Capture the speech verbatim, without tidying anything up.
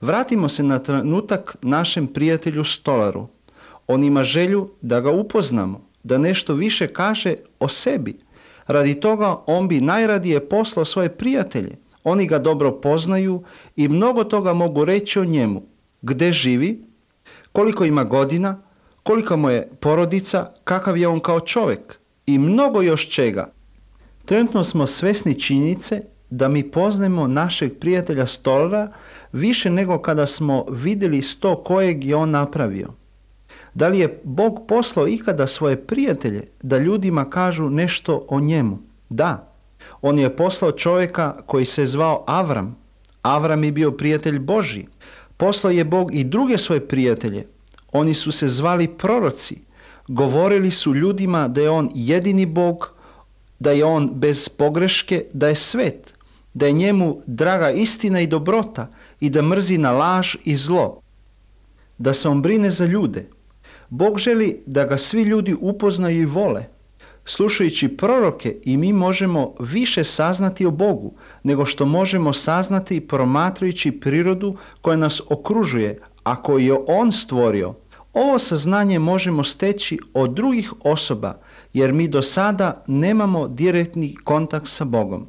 Vratimo se na trenutak našem prijatelju stolaru. On ima želju da ga upoznamo, da nešto više kaže o sebi. Radi toga on bi najradije poslao svoje prijatelje. Oni ga dobro poznaju i mnogo toga mogu reći o njemu. Gde živi, koliko ima godina, kolika mu je porodica, kakav je on kao čovjek i mnogo još čega. Trenutno smo svesni činjenice da mi poznajemo našeg prijatelja stolara više nego kada smo vidjeli sto kojeg je on napravio. Da li je Bog poslao ikada svoje prijatelje da ljudima kažu nešto o njemu? Da. On je poslao čovjeka koji se zvao Avram. Avram je bio prijatelj Božji. Poslao je Bog i druge svoje prijatelje. Oni su se zvali proroci. Govorili su ljudima da je on jedini Bog, da je on bez pogreške, da je svet, da je njemu draga istina i dobrota i da mrzi na laž i zlo, da se on brine za ljude. Bog želi da ga svi ljudi upoznaju i vole. Slušajući proroke i mi možemo više saznati o Bogu nego što možemo saznati promatrajući prirodu koja nas okružuje, a koju je On stvorio. Ovo saznanje možemo steći od drugih osoba jer mi do sada nemamo direktni kontakt sa Bogom.